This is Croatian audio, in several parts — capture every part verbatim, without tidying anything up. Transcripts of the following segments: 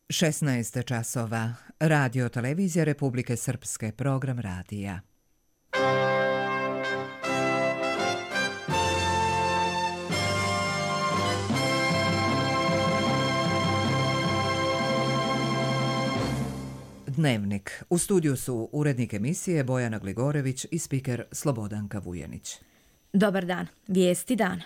šesnaest časova. Radio televizija Republike Srpske, program radija. Dnevnik. U studiju su urednik emisije Bojana Gligorević i spiker Slobodanka Vujanić. Dobar dan. Vijesti dana.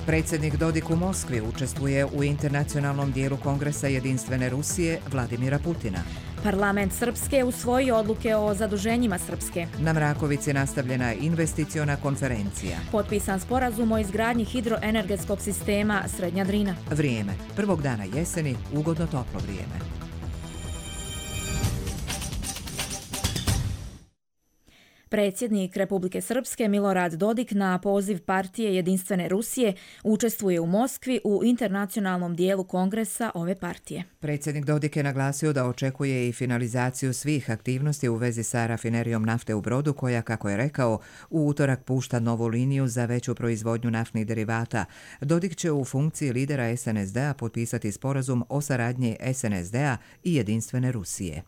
Predsjednik Dodik u Moskvi učestvuje u internacionalnom dijelu Kongresa Jedinstvene Rusije Vladimira Putina. Parlament Srpske usvojio odluke o zaduženjima Srpske. Na Mrakovici nastavljena je investiciona konferencija. Potpisan sporazum o izgradnji hidroenergetskog sistema Srednja Drina. Vrijeme. Prvog dana jeseni, ugodno toplo vrijeme. Predsjednik Republike Srpske Milorad Dodik na poziv partije Jedinstvene Rusije učestvuje u Moskvi u internacionalnom dijelu kongresa ove partije. Predsjednik Dodik je naglasio da očekuje i finalizaciju svih aktivnosti u vezi sa rafinerijom nafte u Brodu koja, kako je rekao, u utorak pušta novu liniju za veću proizvodnju naftnih derivata. Dodik će u funkciji lidera es en es de-a potpisati sporazum o saradnji es en es de-a i Jedinstvene Rusije.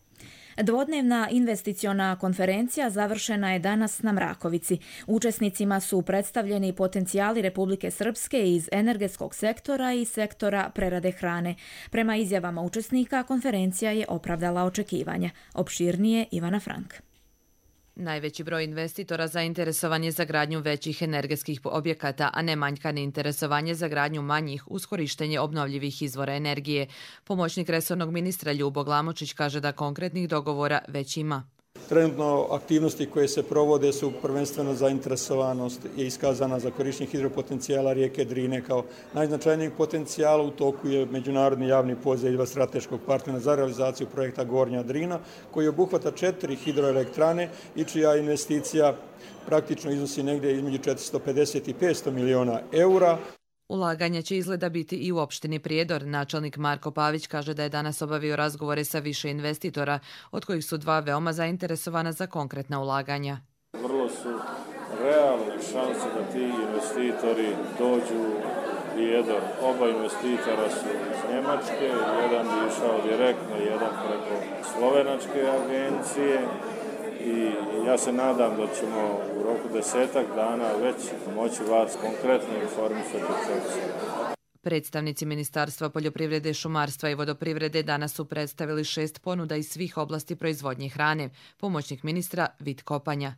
Dvodnevna investiciona konferencija završena je danas na Mrakovici. Učesnicima su predstavljeni potencijali Republike Srpske iz energetskog sektora i sektora prerade hrane. Prema izjavama učesnika, konferencija je opravdala očekivanja. Opširnije Ivana Frank. Najveći broj investitora zainteresovan je za gradnju većih energetskih objekata, a ne manjkane interesovanje za gradnju manjih uz korištenje obnovljivih izvora energije. Pomoćnik resornog ministra Ljubo Glamočić kaže da konkretnih dogovora već ima. Trenutno aktivnosti koje se provode su prvenstveno zainteresovanost je iskazana za korištenje hidropotencijala rijeke Drine kao najznačajnijeg potencijala. U toku je međunarodni javni poziv strateškog partnera za realizaciju projekta Gornja Drina koji obuhvata četiri hidroelektrane i čija investicija praktično iznosi negdje između četiristo pedeset i petsto miliona eura. Ulaganje će izgleda biti i u opštini Prijedor. Načelnik Marko Pavić kaže da je danas obavio razgovore sa više investitora, od kojih su dva veoma zainteresovana za konkretna ulaganja. Vrlo su realne šanse da ti investitori dođu u Prijedor. Oba investitora su iz Njemačke, jedan bi išao direktno, jedan preko slovenačke agencije. I ja se nadam da ćemo u roku desetak dana već moći vas konkretno informisati. Predstavnici Ministarstva poljoprivrede, šumarstva i vodoprivrede danas su predstavili šest ponuda iz svih oblasti proizvodnje hrane. Pomoćnik ministra Vit Kopanja.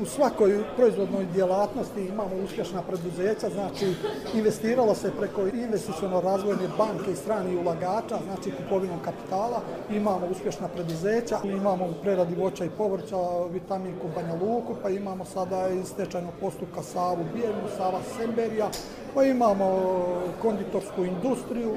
U svakoj proizvodnoj djelatnosti imamo uspješna preduzeća, znači investiralo se preko investiciono-razvojne banke i stranih ulagača, znači kupovinom kapitala, imamo uspješna preduzeća, imamo u preradi voća i povrća vitaminku Banja Luku, pa imamo sada iz stečajnog postupka Savu Bijelu, Sava Semberija, pa imamo konditorsku industriju.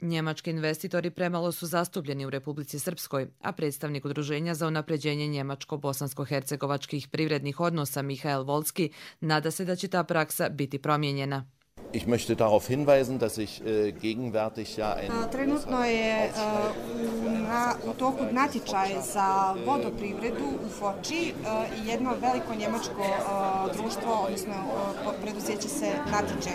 Njemački investitori premalo su zastupljeni u Republici Srpskoj, a predstavnik Udruženja za unapređenje njemačko-bosansko-hercegovačkih privrednih odnosa Mihael Volski nada se da će ta praksa biti promijenjena. Ich möchte darauf hinweisen, dass ich äh, gegenwärtig ja ein... Trenutno je uh, na, u toku natječaj za vodoprivredu u Foči uh, jedno veliko njemačko uh, društvo, odnosno uh, preduzeće se natječe.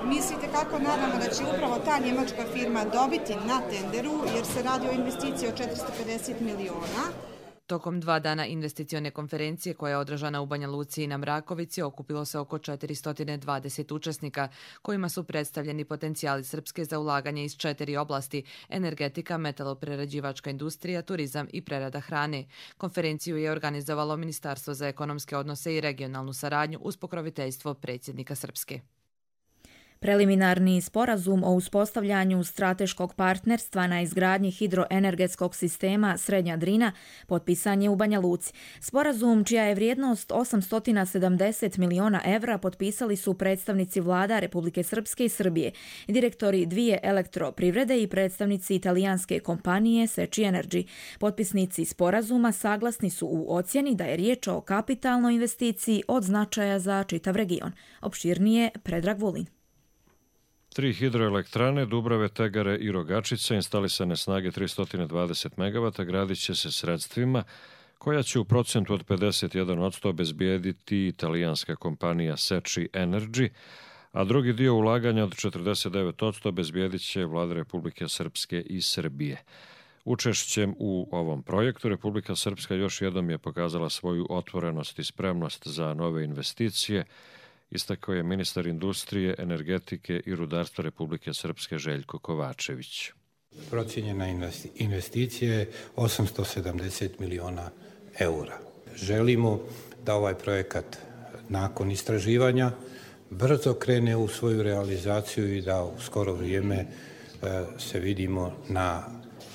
Mi se itekako nadamo da će upravo ta njemačka firma dobiti na tenderu jer se radi o investiciji od četiristo pedeset miliona. Tokom dva dana investicione konferencije koja je održana u Banja Luci i na Mrakovici okupilo se oko četiristo dvadeset učesnika kojima su predstavljeni potencijali Srpske za ulaganje iz četiri oblasti: energetika, metaloprerađivačka industrija, turizam i prerada hrane. Konferenciju je organizovalo Ministarstvo za ekonomske odnose i regionalnu saradnju uz pokroviteljstvo predsjednika Srpske. Preliminarni sporazum o uspostavljanju strateškog partnerstva na izgradnji hidroenergetskog sistema Srednja Drina potpisan je u Banja Luci. Sporazum, čija je vrijednost osamsto sedamdeset miliona evra, potpisali su predstavnici vlada Republike Srpske i Srbije, direktori dvije elektroprivrede i predstavnici italijanske kompanije Seči Energy. Potpisnici sporazuma saglasni su u ocjeni da je riječ o kapitalnoj investiciji od značaja za čitav region. Opširnije Predrag Vulin. Tri hidroelektrane, Dubrave, Tegare i Rogačice, instalisane snage tristo dvadeset megavata, gradit će se sredstvima koja će u procentu od pedeset jedan posto obezbijediti italijanska kompanija Seči Energy, a drugi dio ulaganja od četrdeset devet posto obezbijedit će vlade Republike Srpske i Srbije. Učešćem u ovom projektu Republika Srpska još jednom je pokazala svoju otvorenost i spremnost za nove investicije, istakao je ministar industrije, energetike i rudarstva Republike Srpske Željko Kovačević. Procijenjena investicija je osamsto sedamdeset miliona eura. Želimo da ovaj projekat nakon istraživanja brzo krene u svoju realizaciju i da u skoro vrijeme se vidimo na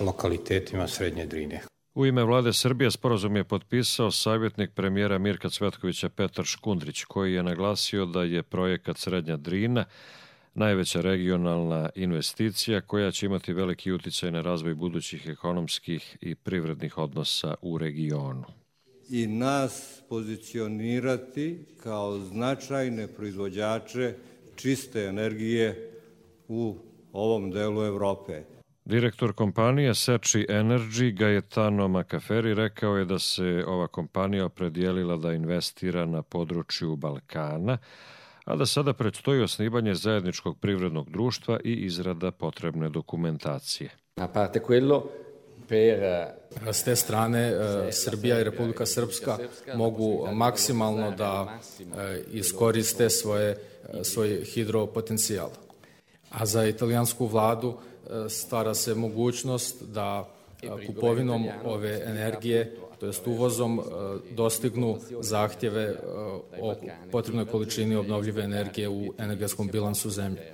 lokalitetima Srednje Drine. U ime vlade Srbije sporazum je potpisao savjetnik premijera Mirka Cvetkovića Petar Škundrić, koji je naglasio da je projekat Srednja Drina najveća regionalna investicija koja će imati veliki uticaj na razvoj budućih ekonomskih i privrednih odnosa u regionu. I nas pozicionirati kao značajne proizvođače čiste energije u ovom delu Evrope. Direktor kompanije Seči Energy Gaetano Macaferi rekao je da se ova kompanija opredijelila da investira na području Balkana, a da sada predstoji osnivanje zajedničkog privrednog društva i izrada potrebne dokumentacije. A parte quello per S te strane Srbija i Republika Srpska mogu maksimalno da iskoriste svoje, svoj hidropotencijal. A za italijansku vladu stvara se mogućnost da kupovinom ove energije, to jest uvozom, dostignu zahtjeve o potrebnoj količini obnovljive energije u energetskom bilansu zemlje.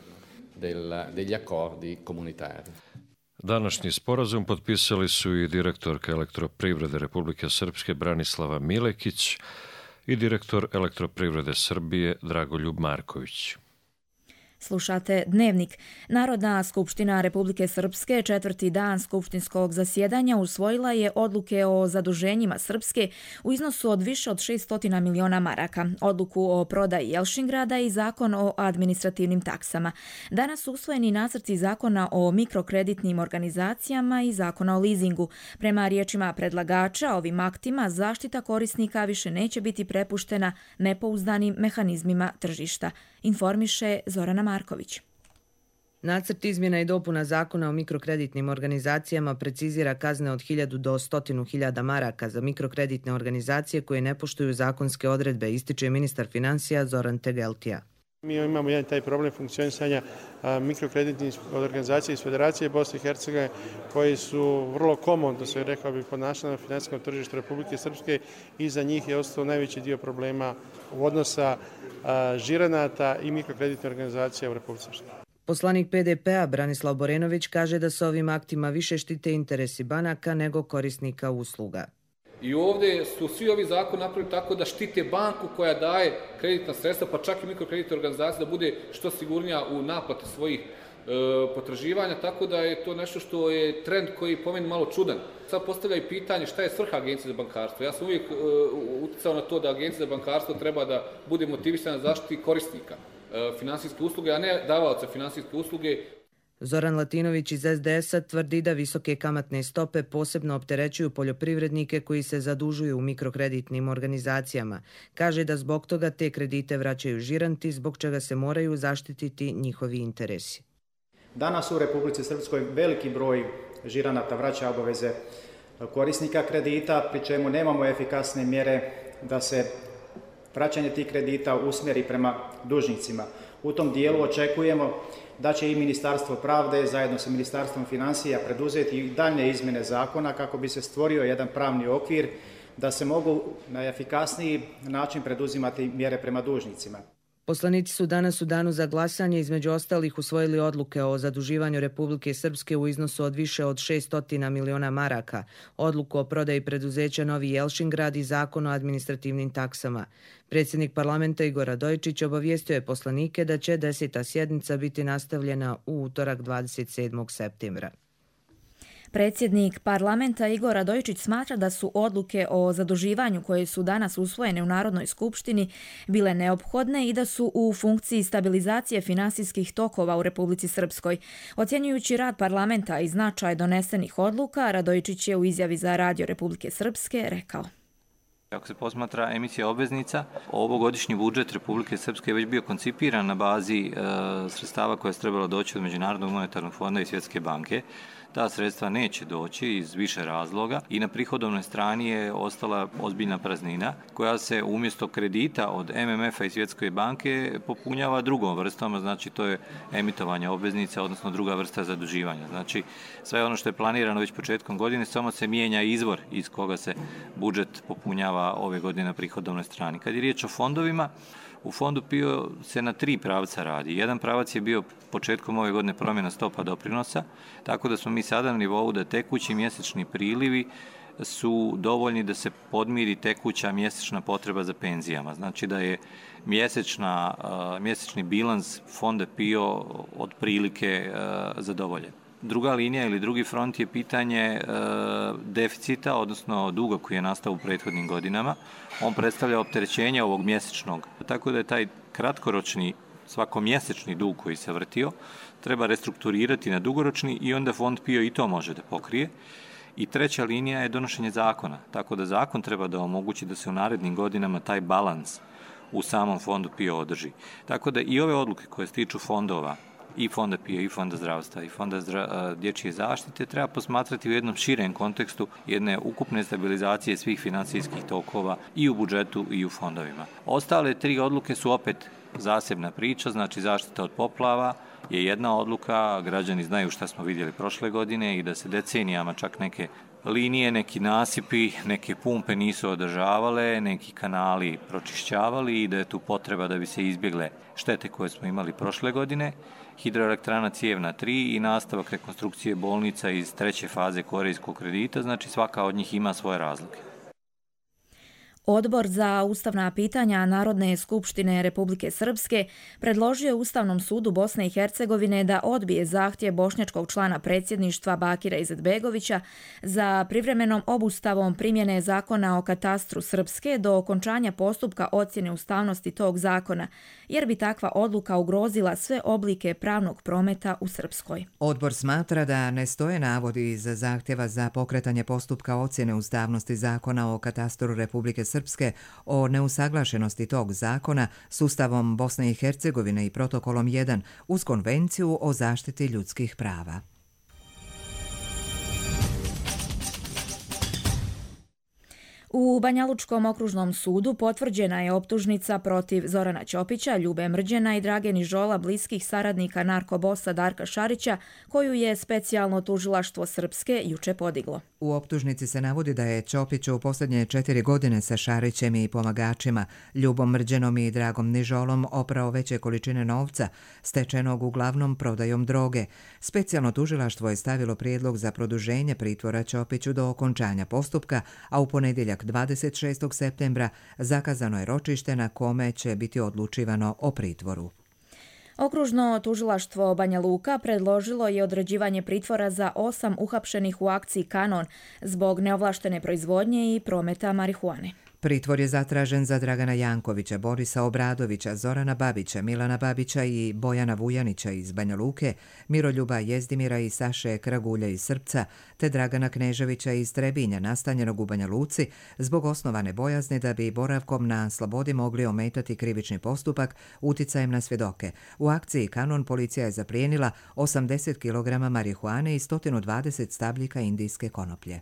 Današnji sporazum potpisali su i direktorka Elektroprivrede Republike Srpske Branislava Milekić i direktor Elektroprivrede Srbije Dragoljub Marković. Slušate Dnevnik. Narodna skupština Republike Srpske četvrti dan skupštinskog zasjedanja usvojila je odluke o zaduženjima Srpske u iznosu od više od šesto miliona maraka, odluku o prodaji Jelšingrada i zakon o administrativnim taksama. Danas su usvojeni nacrti zakona o mikrokreditnim organizacijama i zakona o lizingu. Prema riječima predlagača, ovim aktima zaštita korisnika više neće biti prepuštena nepouzdanim mehanizmima tržišta, informiše Zorana Marković. Nacrt izmjena i dopuna zakona o mikrokreditnim organizacijama precizira kazne od hiljadu do stotinu hiljada maraka za mikrokreditne organizacije koje ne poštuju zakonske odredbe, ističe ministar financija Zoran Tegeltija. Mi imamo jedan taj problem funkcionisanja mikrokreditnih organizacija iz Federacije Bosne i Hercegovine koji su vrlo komodno, se rekao bi, ponašali na finansijskom tržištu Republike Srpske i za njih je ostao najveći dio problema u odnosa žiranata i mikrokreditne organizacije u Republike Srpske. Poslanik P D P-a Branislav Borenović kaže da se ovim aktima više štite interesi banaka nego korisnika usluga. I ovdje su svi ovi zakoni napravili tako da štite banku koja daje kreditna sredstva, pa čak i mikrokreditne organizacije, da bude što sigurnija u naplati svojih e, potraživanja, tako da je to nešto što je trend koji po meni malo čudan. Sad postavlja i pitanje šta je svrha Agencije za bankarstvo. Ja sam uvijek e, uticao na to da Agencija za bankarstvo treba da bude motivisana na zaštiti korisnika e, finansijske usluge, a ne davaoca finansijske usluge. Zoran Latinović iz S D S-a tvrdi da visoke kamatne stope posebno opterećuju poljoprivrednike koji se zadužuju u mikrokreditnim organizacijama. Kaže da zbog toga te kredite vraćaju žiranti, zbog čega se moraju zaštititi njihovi interesi. Danas u Republici Srpskoj veliki broj žiranata vraća obaveze korisnika kredita, pri čemu nemamo efikasne mjere da se vraćanje tih kredita usmjeri prema dužnicima. U tom dijelu očekujemo da će i Ministarstvo pravde zajedno sa Ministarstvom financija preduzeti i daljnje izmjene zakona kako bi se stvorio jedan pravni okvir da se mogu na efikasniji način preduzimati mjere prema dužnicima. Poslanici su danas u danu za glasanje između ostalih usvojili odluke o zaduživanju Republike Srpske u iznosu od više od šesto miliona maraka, odluku o prodaji preduzeća Novi Jelšingrad i zakon o administrativnim taksama. Predsjednik parlamenta Igor Radojičić obavijestio je poslanike da će deseta sjednica biti nastavljena u utorak dvadeset sedmog septembra. Predsjednik parlamenta Igor Radojičić smatra da su odluke o zaduživanju koje su danas usvojene u Narodnoj skupštini bile neophodne i da su u funkciji stabilizacije finansijskih tokova u Republici Srpskoj. Ocjenjujući rad parlamenta i značaj donesenih odluka, Radojičić je u izjavi za Radio Republike Srpske rekao: Ako se posmatra emisija obveznica, ovogodišnji budžet Republike Srpske je već bio koncipiran na bazi e, sredstava koja je trebalo doći od Međunarodnog monetarnog fonda i Svjetske banke. Ta sredstva neće doći iz više razloga i na prihodovnoj strani je ostala ozbiljna praznina koja se umjesto kredita od M M F-a i Svjetske banke popunjava drugom vrstom, znači to je emitovanje obveznica, odnosno druga vrsta zaduživanja. Znači sve ono što je planirano već početkom godine, samo se mijenja izvor iz koga se budžet popunjava ove godine na prihodovnoj strani. Kad je riječ o fondovima, u fondu P I O se na tri pravca radi. Jedan pravac je bio početkom ove godine promjena stopa doprinosa, tako da smo mi sada na nivou da tekući mjesečni prilivi su dovoljni da se podmiri tekuća mjesečna potreba za penzijama. Znači da je mjesečna, mjesečni bilans fonda P I O otprilike zadovoljen. Druga linija ili drugi front je pitanje e, deficita, odnosno duga koji je nastao u prethodnim godinama. On predstavlja opterećenje ovog mjesečnog. Tako da je taj kratkoročni, svakomjesečni dug koji se vrtio, treba restrukturirati na dugoročni i onda fond P I O i to može da pokrije. I treća linija je donošenje zakona. Tako da zakon treba da omogući da se u narednim godinama taj balans u samom fondu P I O održi. Tako da i ove odluke koje se tiču fondova, i fonda P I O, i fonda zdravstva, i fonda zdra, dječje zaštite treba posmatrati u jednom širem kontekstu jedne ukupne stabilizacije svih financijskih tokova i u budžetu i u fondovima. Ostale tri odluke su opet zasebna priča, znači zaštita od poplava je jedna odluka, građani znaju šta smo vidjeli prošle godine i da se decenijama čak neke linije, neki nasipi, neke pumpe nisu održavale, neki kanali pročišćavali i da je tu potreba da bi se izbjegle štete koje smo imali prošle godine. Hidroelektrana Cijevna tri i nastavak rekonstrukcije bolnica iz treće faze korejskog kredita, znači svaka od njih ima svoje razlike. Odbor za ustavna pitanja Narodne skupštine Republike Srpske predložio je Ustavnom sudu Bosne i Hercegovine da odbije zahtjev bošnjačkog člana predsjedništva Bakira Izetbegovića za privremenom obustavom primjene zakona o katastru Srpske do okončanja postupka ocjene ustavnosti tog zakona, jer bi takva odluka ugrozila sve oblike pravnog prometa u Srpskoj. Odbor smatra da ne stoje navodi iz zahtjeva za pokretanje postupka ocjene ustavnosti zakona o katastru Republike Srpske Srpske o neusaglašenosti tog zakona s Ustavom Bosne i Hercegovine i protokolom jedan uz Konvenciju o zaštiti ljudskih prava. U Banjalučkom okružnom sudu potvrđena je optužnica protiv Zorana Ćopića, Ljube Mrđena i Drage Nižola, bliskih saradnika narkobosa Darka Šarića, koju je specijalno tužilaštvo Srpske juče podiglo. U optužnici se navodi da je Ćopić u posljednje četiri godine sa Šarićem i pomagačima, Ljubom Mrđenom i Dragom Nižolom oprao veće količine novca, stečenog uglavnom prodajom droge. Specijalno tužilaštvo je stavilo prijedlog za produženje pritvora Ćopiću do okončanja postupka, a u ponedjeljak dvadeset šestog septembra zakazano je ročište na kome će biti odlučivano o pritvoru. Okružno tužilaštvo Banja Luka predložilo je određivanje pritvora za osam uhapšenih u akciji Kanon zbog neovlaštene proizvodnje i prometa marihuane. Pritvor je zatražen za Dragana Jankovića, Borisa Obradovića, Zorana Babića, Milana Babića i Bojana Vujanića iz Banja Luke, Miroljuba Jezdimira i Saše Kragulja iz Srpca, te Dragana Kneževića iz Trebinja, nastanjenog u Banja Luci, zbog osnovane bojazni da bi boravkom na slobodi mogli ometati krivični postupak uticajem na svjedoke. U akciji Kanon policija je zaplijenila osamdeset kilograma marihuane i sto dvadeset stabljika indijske konoplje.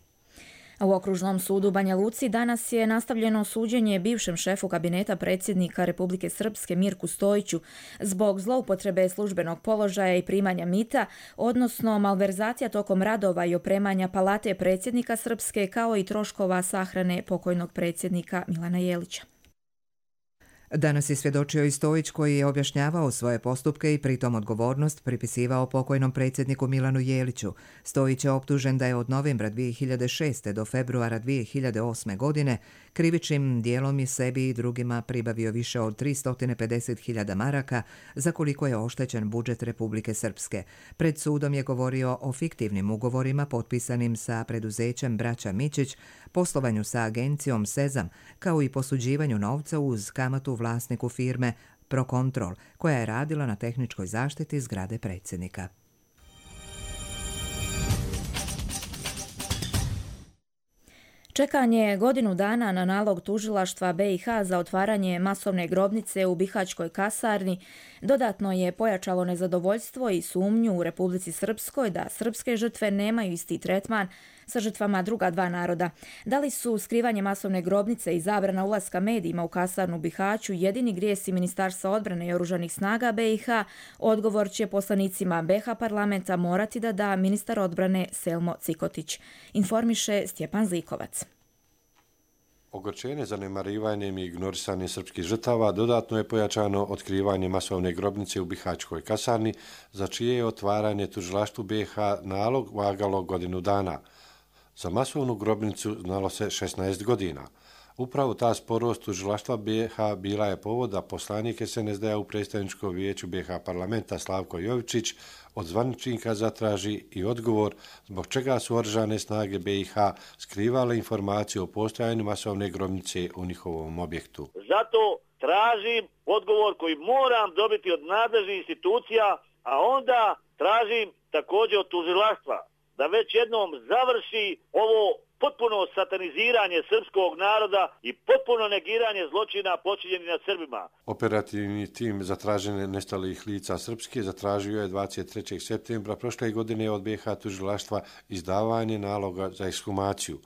U okružnom sudu Banja Luci danas je nastavljeno suđenje bivšem šefu kabineta predsjednika Republike Srpske Mirku Stojiću zbog zloupotrebe službenog položaja i primanja mita, odnosno malverzacija tokom radova i opremanja palate predsjednika Srpske kao i troškova sahrane pokojnog predsjednika Milana Jelića. Danas je svjedočio i Stojić koji je objašnjavao svoje postupke i pritom odgovornost pripisivao pokojnom predsjedniku Milanu Jeliću. Stojić je optužen da je od novembra dvije hiljade šeste. do februara dvije hiljade osme. godine krivičnim dijelom i sebi i drugima pribavio više od tristo pedeset hiljada maraka za koliko je oštećen budžet Republike Srpske. Pred sudom je govorio o fiktivnim ugovorima potpisanim sa preduzećem Braća Mičić, poslovanju sa agencijom Sezam, kao i posuđivanju novca uz kamatu vlasniku firme Procontrol, koja je radila na tehničkoj zaštiti zgrade predsjednika. Čekanje godinu dana na nalog tužilaštva B i H za otvaranje masovne grobnice u Bihaćkoj kasarni dodatno je pojačalo nezadovoljstvo i sumnju u Republici Srpskoj da srpske žrtve nemaju isti tretman sa žrtvama druga dva naroda. Da li su skrivanje masovne grobnice i zabrana ulaska medijima u kasarnu u Bihaću jedini grijesi Ministarstva odbrane i oružanih snaga B i H, odgovor će poslanicima B H parlamenta morati da da ministar odbrane Selmo Cikotić. Informiše Stjepan Zlikovac. Ogorčenje zanemarivanjem i ignorisanjem srpskih žrtava dodatno je pojačano otkrivanje masovne grobnice u Bihaćkoj kasarni, za čije je otvaranje tužilaštvu B i H nalog vagalo godinu dana. Za masovnu grobnicu znalo se šesnaest godina. Upravo ta sporost tužilaštva B i H bila je povod da poslanik S N S D-a u predstavničkom vijeću B i H parlamenta Slavko Jovičić od zvaničnika zatraži i odgovor zbog čega su oružane snage B i H skrivale informacije o postojanju masovne grobnice u njihovom objektu. Zato tražim odgovor koji moram dobiti od nadležnih institucija, a onda tražim također od tužilaštva da već jednom završi ovo potpuno sataniziranje srpskog naroda i potpuno negiranje zločina počinjenih nad Srbima. Operativni tim za traženje nestalih lica srpske zatražio je dvadeset trećeg septembra prošle godine od B i H tužilaštva izdavanje naloga za ekshumaciju.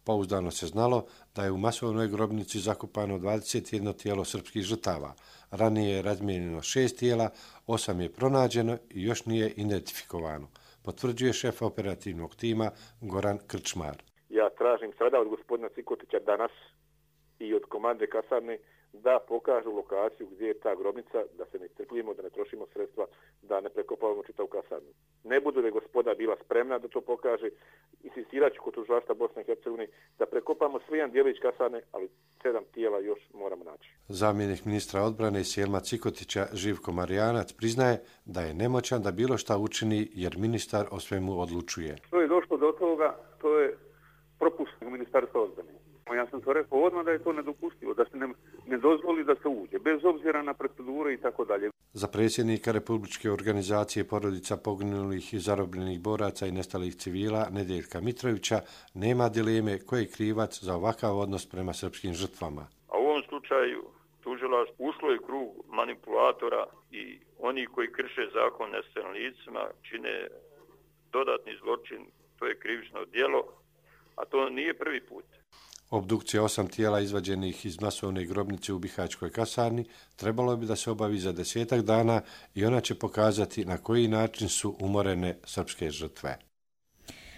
Pouzdano se znalo da je u masovnoj grobnici zakopano dvadeset jedno tijelo srpskih žrtava. Ranije je razmijenjeno šest tijela, osam je pronađeno i još nije identifikovano, potvrđuje šef operativnog tima Goran Krčmar. Ja tražim sada od gospodina Cikotića danas i od komande kasarne da pokažu lokaciju gdje je ta grobnica, da se ne trpljimo, da ne trošimo sredstva, da ne prekopavamo čitavu kasarnu. Ne budu li gospoda bila spremna da to pokaže, insistirat ću kod tužilaštva Bosne i Hercegovine da prekopamo sve jedan dijelić kasarne, ali sedam tijela još moramo naći. Zamjenik ministra odbrane Selma Cikotića Živko Marijanac priznaje da je nemoćan da bilo šta učini jer ministar o svemu odlučuje. Što je došlo do toga, to je propust ministarstva odbrane. Ja sam to rekao odmah da je to nedopustivo, da se ne, ne dozvoli da se uđe, bez obzira na procedure i tako dalje. Za predsjednika Republičke organizacije porodica poginulih i zarobljenih boraca i nestalih civila Nedeljka Mitrovića nema dileme ko je krivac za ovakav odnos prema srpskim žrtvama. A u ovom slučaju tužilaštvo ušlo je krug manipulatora i oni koji krše zakon nestalim licima čine dodatni zločin, to je krivično djelo, a to nije prvi put. Obdukcija osam tijela izvađenih iz masovne grobnice u Bihaćkoj kasarni trebalo bi da se obavi za desetak dana i ona će pokazati na koji način su umorene srpske žrtve.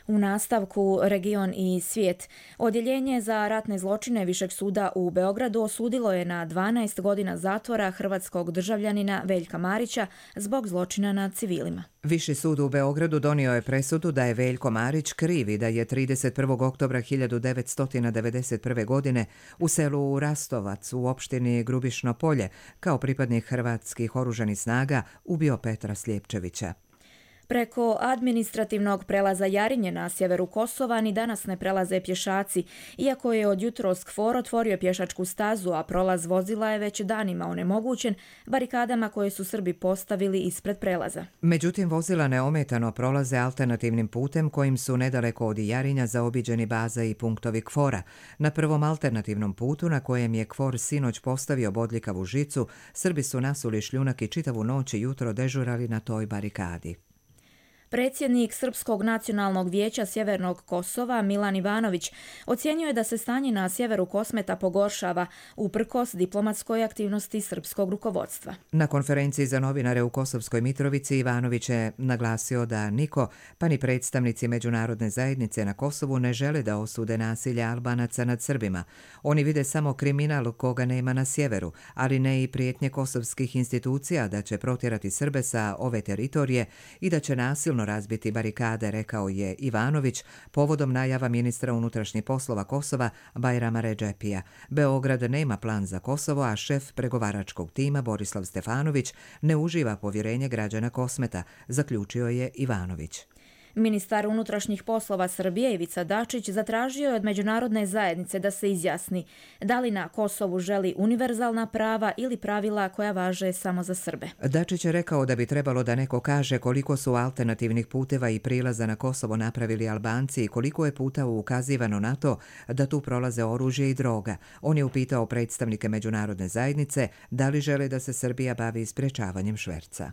U nastavku region i svijet. Odjeljenje za ratne zločine Višeg suda u Beogradu osudilo je na dvanaest godina zatvora hrvatskog državljanina Veljka Marića zbog zločina nad civilima. Viši sud u Beogradu donio je presudu da je Veljko Marić kriv i da je trideset prvog oktobra hiljadu devetsto devedeset prve. godine u selu Rastovac u opštini Grubišno Polje kao pripadnik hrvatskih oružanih snaga ubio Petra Sljepčevića. Preko administrativnog prelaza Jarinje na sjeveru Kosova ni danas ne prelaze pješaci, iako je od jutros KFOR otvorio pješačku stazu, a prolaz vozila je već danima onemogućen barikadama koje su Srbi postavili ispred prelaza. Međutim, vozila neometano prolaze alternativnim putem kojim su nedaleko od Jarinja zaobiđeni baza i punktovi KFOR-a. Na prvom alternativnom putu na kojem je KFOR sinoć postavio bodljikavu žicu, Srbi su nasuli šljunak i čitavu noć i jutro dežurali na toj barikadi. Predsjednik Srpskog nacionalnog vijeća Sjevernog Kosova Milan Ivanović ocjenjuje da se stanje na sjeveru Kosmeta pogoršava uprkos diplomatskoj aktivnosti srpskog rukovodstva. Na konferenciji za novinare u Kosovskoj Mitrovici Ivanović je naglasio da niko, pa ni predstavnici međunarodne zajednice na Kosovu ne žele da osude nasilje Albanaca nad Srbima. Oni vide samo kriminal koga nema na sjeveru, ali ne i prijetnje kosovskih institucija da će protjerati Srbe sa ove teritorije i da će nasilno razbiti barikade, rekao je Ivanović povodom najava ministra unutrašnjih poslova Kosova Bajrama Redžepija. Beograd nema plan za Kosovo, a šef pregovaračkog tima Borislav Stefanović ne uživa povjerenje građana Kosmeta, zaključio je Ivanović. Ministar unutrašnjih poslova Srbije Ivica Dačić zatražio je od međunarodne zajednice da se izjasni da li na Kosovu želi univerzalna prava ili pravila koja važe samo za Srbe. Dačić je rekao da bi trebalo da neko kaže koliko su alternativnih puteva i prilaza na Kosovo napravili Albanci i koliko je puta ukazivano na to da tu prolaze oružje i droga. On je upitao predstavnike međunarodne zajednice da li žele da se Srbija bavi sprečavanjem šverca.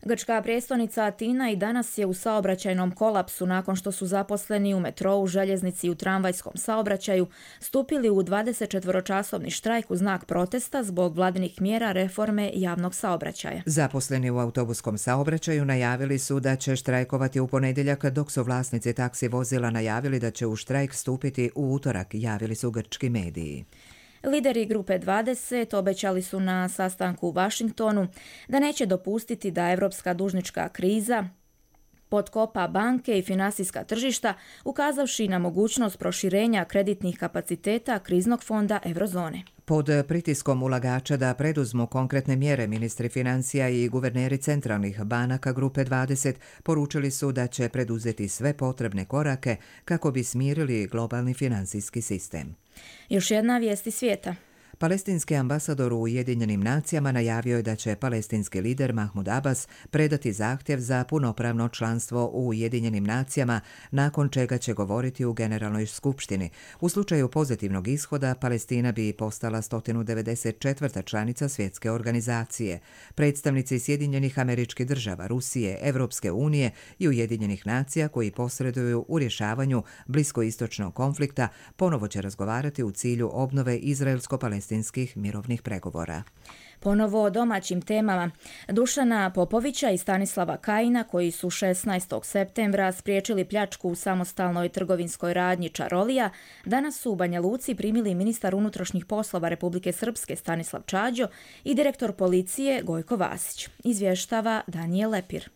Grčka prijestolnica Atina i danas je u saobraćajnom kolapsu nakon što su zaposleni u metrou, željeznici i u tramvajskom saobraćaju stupili u dvadesetčetvoročasovni štrajk u znak protesta zbog vladinih mjera reforme javnog saobraćaja. Zaposleni u autobuskom saobraćaju najavili su da će štrajkovati u ponedjeljak, dok su vlasnici taksi vozila najavili da će u štrajk stupiti u utorak, javili su grčki mediji. Lideri grupe dvadeset obećali su na sastanku u Vašingtonu da neće dopustiti da evropska dužnička kriza potkopa banke i finansijska tržišta, ukazavši na mogućnost proširenja kreditnih kapaciteta kriznog fonda Eurozone. Pod pritiskom ulagača da preduzmu konkretne mjere, ministri financija i guverneri centralnih banaka grupe dvadeset poručili su da će preduzeti sve potrebne korake kako bi smirili globalni finansijski sistem. Još jedna vijest iz svijeta. Palestinski ambasador u Ujedinjenim nacijama najavio je da će palestinski lider Mahmud Abbas predati zahtjev za punopravno članstvo u Ujedinjenim nacijama, nakon čega će govoriti u Generalnoj skupštini. U slučaju pozitivnog ishoda, Palestina bi postala sto devedeset četvrta članica svjetske organizacije. Predstavnici Sjedinjenih Američkih Država, Rusije, Evropske unije i Ujedinjenih nacija koji posreduju u rješavanju bliskoistočnog konflikta ponovo će razgovarati u cilju obnove izraelsko-palestinskih mirovnih pregovora. Ponovo o domaćim temama. Dušana Popovića i Stanislava Kajina, koji su šesnaestog septembra spriječili pljačku u samostalnoj trgovinskoj radnji Čarolija, danas su u Banja Luci primili ministar unutrašnjih poslova Republike Srpske Stanislav Čađo i direktor policije Gojko Vasić. Izvještava Danijel Lepir.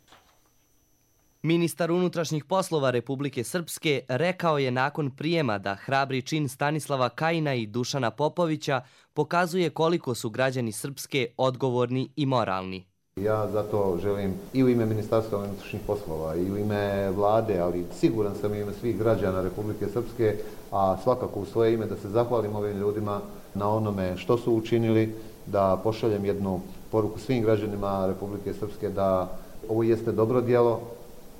Ministar unutrašnjih poslova Republike Srpske rekao je nakon prijema da hrabri čin Stanislava Kajina i Dušana Popovića pokazuje koliko su građani Srpske odgovorni i moralni. Ja zato želim i u ime Ministarstva unutrašnjih poslova i u ime vlade, ali siguran sam i u ime svih građana Republike Srpske, a svakako u svoje ime da se zahvalim ovim ljudima na onome što su učinili, da pošaljem jednu poruku svim građanima Republike Srpske da ovo jeste dobro djelo.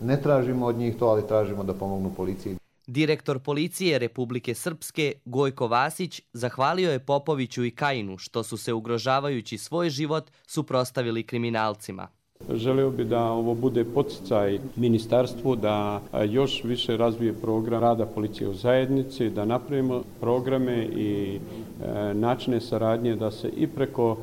Ne tražimo od njih to, ali tražimo da pomognu policiji. Direktor policije Republike Srpske Gojko Vasić zahvalio je Popoviću i Kajinu što su se ugrožavajući svoj život suprotstavili kriminalcima. Želeo bi da ovo bude poticaj ministarstvu da još više razvije program rada policije u zajednici, da napravimo programe i načine saradnje da se i preko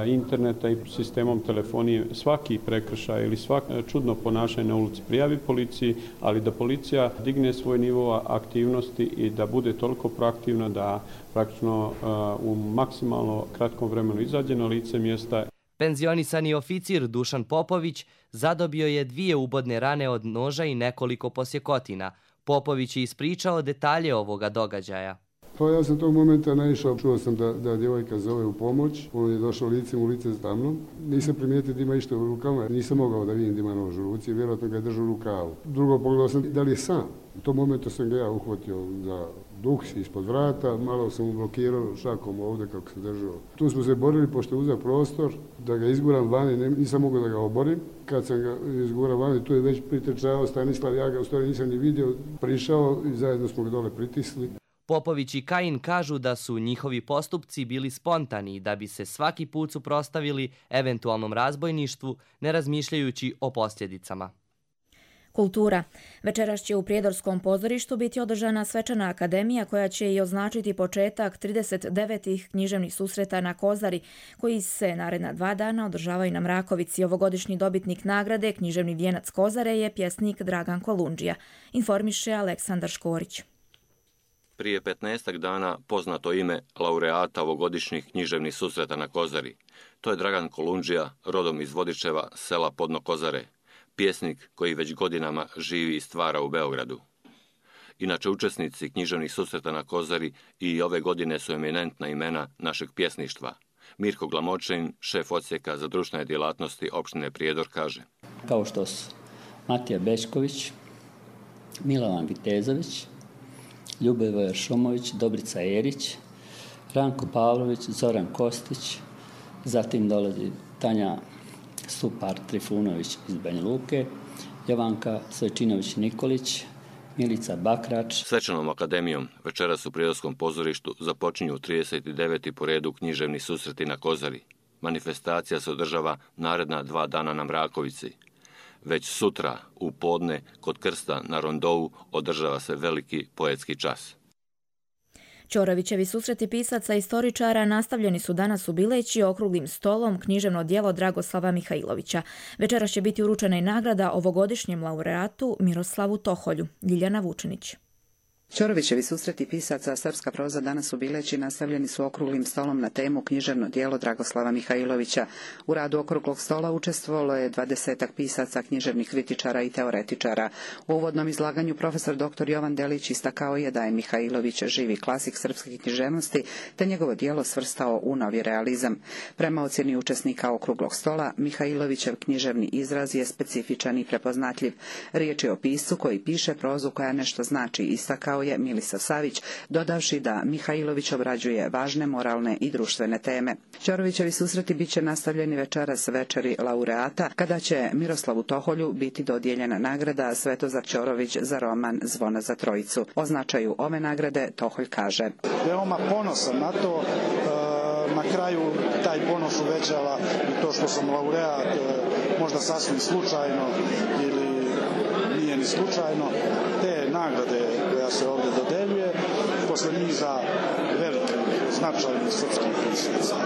interneta i sistemom telefonije svaki prekršaj ili svako čudno ponašanje na ulici prijavi policiji, ali da policija digne svoj nivo aktivnosti i da bude toliko proaktivna da praktično u maksimalno kratkom vremenu izađe na lice mjesta. Penzionisani oficir Dušan Popović zadobio je dvije ubodne rane od noža i nekoliko posjekotina. Popović je ispričao detalje ovoga događaja. Pa ja sam tog momenta naišao, čuo sam da, da djevojka zove u pomoć, on je došao licem u lice sa mnom. Nisam primijetio da ima išta u rukama, nisam mogao da vidim da ima nož u ruci, vjerojatno ga je držao u rukavu. Drugo pogledao sam da li je sam. U tom momentu sam ga ja uhvatio za duks ispod vrata, malo sam mu blokirao šakom ovdje kako se držao. Tu smo se borili, pošto je uzeo prostor, da ga izguram vani, nisam mogao da ga oborim. Kad sam ga izgurao vani, tu je već pritrčao Stanislav, ja ga u stvari nisam ni vidio, prišao i zajedno smo ga dole pritisli. Popović i Kajin kažu da su njihovi postupci bili spontani da bi se svaki put suprotstavili eventualnom razbojništvu, ne razmišljajući o posljedicama. Kultura. Večeras će u Prijedorskom pozorištu biti održana svečana akademija koja će i označiti početak trideset devetih književnih susreta na Kozari, koji se naredna dva dana održavaju na Mrakovici. Ovogodišnji dobitnik nagrade Književni vijenac Kozare je pjesnik Dragan Kolundžija, informiše Aleksandar Škorić. Prije petnaestak dana poznato ime laureata ovogodišnjih književnih susreta na Kozari. To je Dragan Kolundžija, rodom iz Vodičeva, sela Podno Kozare, pjesnik koji već godinama živi i stvara u Beogradu. Inače, učesnici književnih susreta na Kozari i ove godine su eminentna imena našeg pjesništva. Mirko Glamočin, šef odsjeka za društvene djelatnosti opštine Prijedor, kaže: Kao što su Matija Bečković, Milovan Vitezović, Ljubivoje Šumović, Dobrica Erić, Ranko Pavlović, Zoran Kostić, zatim dolazi Tanja Stupar-Trifunović iz Banja Luke, Jovanka Svečinović-Nikolić, Milica Bakrač. Svečanom akademijom večeras u Prijedorskom pozorištu započinju trideset deveti po redu književni susreti na Kozari. Manifestacija se održava naredna dva dana na Mrakovici. Već sutra, u podne, kod Krsta na Rondovu održava se veliki poetski čas. Ćorovićevi susreti pisaca i istoričara nastavljeni su danas u Bileći okruglim stolom književno djelo Dragoslava Mihajlovića. Večeras će biti uručena i nagrada ovogodišnjem laureatu Miroslavu Toholju. Ljiljana Vučinić. Ćorovićevi susreti pisaca Srpska proza danas u Bileći nastavljeni su okruglim stolom na temu književno djelo Dragoslava Mihajlovića. U radu okruglog stola učestvovalo je dvadesetak pisaca, književnih kritičara i teoretičara. U uvodnom izlaganju profesor doktor Jovan Delić istakao je da je Mihajlović živi klasik srpske književnosti, te njegovo djelo svrstao u novi realizam. Prema ocjeni učesnika okruglog stola, Mihajlovićev književni izraz je specifičan i prepoznatljiv. Riječ je o piscu koji piše prozu koja nešto znači, istakao je Milisav Savić, dodavši da Mihajlović obrađuje važne moralne i društvene teme. Ćorovićevi susreti bit će nastavljeni večeras večeri laureata, kada će Miroslavu Toholju biti dodijeljena nagrada Svetozar Ćorović za roman Zvona za trojicu. O značaju ove nagrade Toholj kaže: Veoma ponosan na to, na kraju taj ponos uvećava i to što sam laureat, možda sasvim slučajno ili nije ni slučajno, te nagrade koja se ovdje dodeljuje posle niza velikih značajnih srpskih pisaca.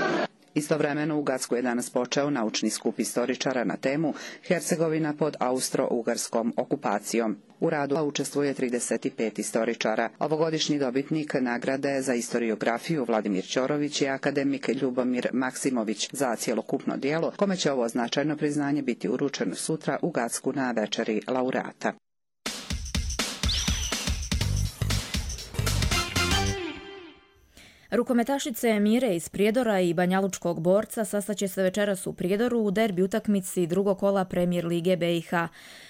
Istovremeno u Gacku je danas počeo naučni skup istoričara na temu Hercegovina pod austro-ugarskom okupacijom. U radu učestvuje trideset pet istoričara. Ovogodišnji dobitnik nagrade za istoriografiju Vladimir Ćorović je akademik Ljubomir Maksimović za cjelokupno djelo, kome će ovo značajno priznanje biti uručeno sutra u Gacku na večeri laureata. Rukometašice Mire iz Prijedora i banjalučkog Borca sastaće se večeras u Prijedoru u derbi utakmici drugog kola Premijer lige B i H.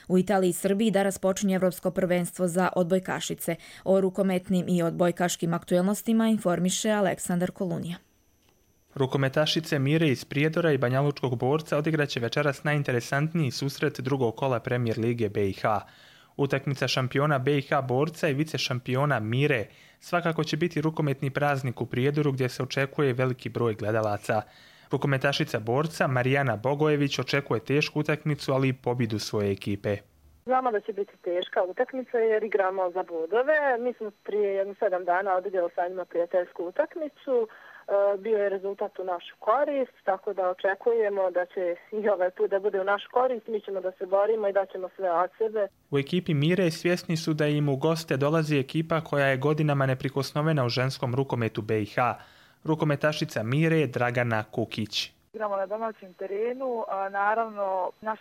U Italiji i Srbiji danas počinje Evropsko prvenstvo za odbojkašice. O rukometnim i odbojkaškim aktuelnostima informiše Aleksandar Kolunija. Rukometašice Mire iz Prijedora i banjalučkog Borca odigraće večeras najinteresantniji susret drugog kola Premijer lige B i H. Utakmica šampiona B i H Borca i vice šampiona Mire svakako će biti rukometni praznik u Prijedoru gdje se očekuje veliki broj gledalaca. Rukometašica Borca Marijana Bogojević očekuje tešku utakmicu, ali i pobjedu svoje ekipe. Znamo da će biti teška utakmica jer igramo za bodove. Mi smo prije jedno sedam dana odigrali sa njima prijateljsku utakmicu. Bio je rezultat u našu korist, tako da očekujemo da će i ovaj put da bude u našu korist. Mi ćemo da se borimo i da ćemo sve od sebe. U ekipi Mire svjesni su da im u goste dolazi ekipa koja je godinama neprikosnovena u ženskom rukometu B i H. Rukometašica Mire Dragana Kukić. Igramo na domaćem terenu, a naravno naš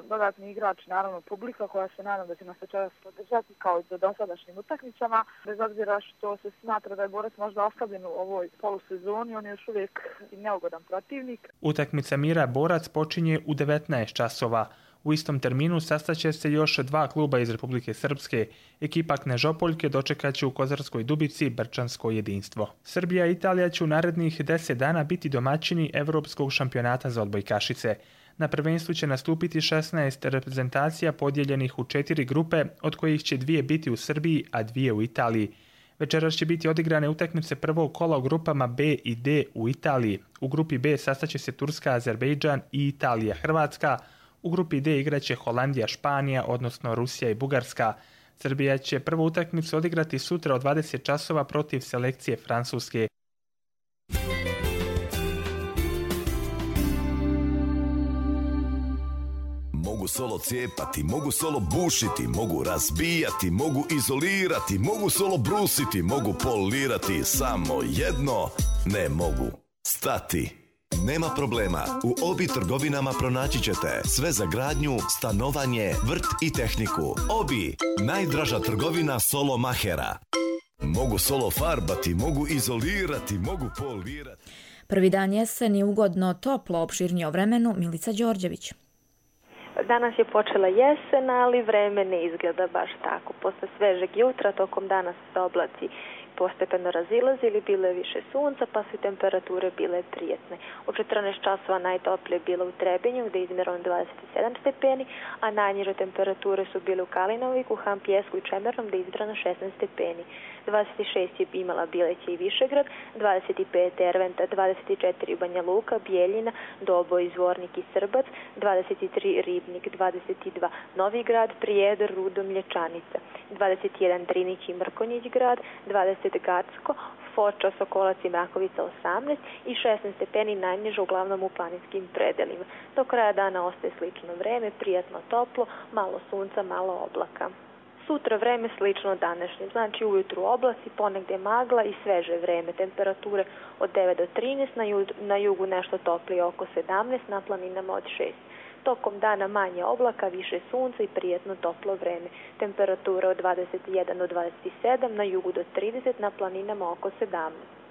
dodatni igrač, naravno publika koja se nadam da će nas večeras podržati kao i do dosadašnjim utakmicama. Bez obzira što se smatra da je Borac možda oslabljen u ovoj polusezoni, on je još uvijek neugodan protivnik. Utakmica Mira Borac počinje u devetnaest časova. U istom terminu sastaće se još dva kluba iz Republike Srpske. Ekipa Knežopoljke dočekat će u Kozarskoj Dubici Brčansko jedinstvo. Srbija i Italija će u narednih deset dana biti domaćini Evropskog šampionata za odbojkašice. Na prvenstvu će nastupiti šesnaest reprezentacija podijeljenih u četiri grupe, od kojih će dvije biti u Srbiji, a dvije u Italiji. Večeras će biti odigrane utakmice prvog kola u grupama B i D u Italiji. U grupi B sastaće se Turska, Azerbejdžan i Italija, Hrvatska. U grupi D igraće Holandija, Španija, odnosno Rusija i Bugarska. Srbija će prvu utakmicu odigrati sutra od dvadeset časova protiv selekcije Francuske. Mogu solo cijepati, mogu solo bušiti, mogu razbijati, mogu izolirati, mogu solo brusiti, mogu polirati, samo jedno ne mogu stati. Nema problema, u Obi trgovinama pronaći ćete sve za gradnju, stanovanje, vrt i tehniku. Obi, najdraža trgovina solo mahera. Mogu solo farbati, mogu izolirati, mogu polirati. Prvi dan jeseni ugodno, toplo, opširnije o vremenu, Milica Đorđević. Danas je počela jesen, ali vreme ne izgleda baš tako. Posle svežeg jutra tokom dana su se oblaci postepeno razilazili, bilo je više sunca, pa su temperature bile prijetne. U četrnaest časova najtoplije je bilo u Trebinju, gdje je izmjereno dvadeset sedam stepeni, a najniže temperature su bile u Kalinoviku, Hampjesku i Čemernom, gdje je izmjereno šesnaest stepeni. dvadeset šest je imala Bileće i Višegrad, dvadeset pet Erventa, dvadeset četiri Banja Luka, Bijeljina, Doboj, Zvornik i Srbac, dvadeset tri Ribnik, dvadeset dva Novigrad, Prijedor, Rudo, Mlječanica, dvadeset jedan Drinić i Mrkonjić grad, dvadeset Gacko, Foča, Sokolac i Mrakovica osamnaest i šesnaest stepeni najniže uglavnom u planinskim predelima. Do kraja dana ostaje slično vreme, prijatno toplo, malo sunca, malo oblaka. Sutra vreme slično današnjem, znači ujutru oblaci, ponegdje magla i sveže vreme, temperature od devet do trinaest, na, ju, na jugu nešto toplije oko sedamnaest, na planinama od šest. Tokom dana manje oblaka, više sunca i prijetno toplo vreme. Temperatura od dvadeset jedan do dvadeset sedam, na jugu do trideset, na planinama oko sedamnaest.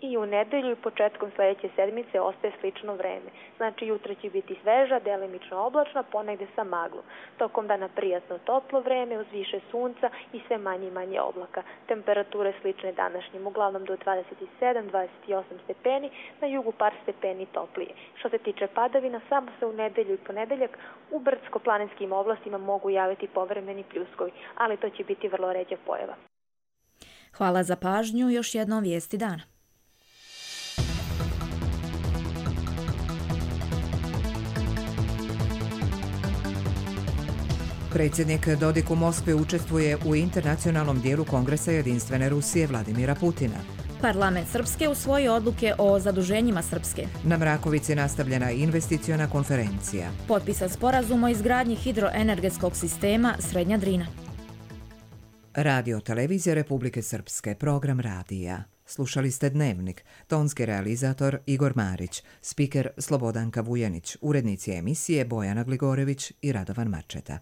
I u nedelju i početkom sljedeće sedmice ostaje slično vreme. Znači jutra će biti sveža, delimično oblačna, ponegdje sa maglom. Tokom dana prijatno toplo vreme uz više sunca i sve manje i manje oblaka. Temperature slične današnjim, uglavnom do dvadeset sedam do dvadeset osam stepeni, na jugu par stepeni toplije. Što se tiče padavina, samo se u nedelju i ponedeljak u brdsko-planinskim oblastima mogu javiti povremeni pljuskovi, ali to će biti vrlo ređa pojava. Hvala za pažnju, još jednom vijesti dana. Predsjednik Dodik u Moskvi učestvuje u internacionalnom dijelu Kongresa Jedinstvene Rusije Vladimira Putina. Parlament Srpske usvoji odluke o zaduženjima Srpske. Na Mrakovici nastavljena investiciona konferencija. Potpisan sporazum o izgradnji hidroenergetskog sistema Srednja Drina. Radio Televizija Republike Srpske, program radija. Slušali ste Dnevnik, tonski realizator Igor Marić, spiker Slobodanka Vujanić, urednici emisije Bojana Gligorević i Radovan Marčeta.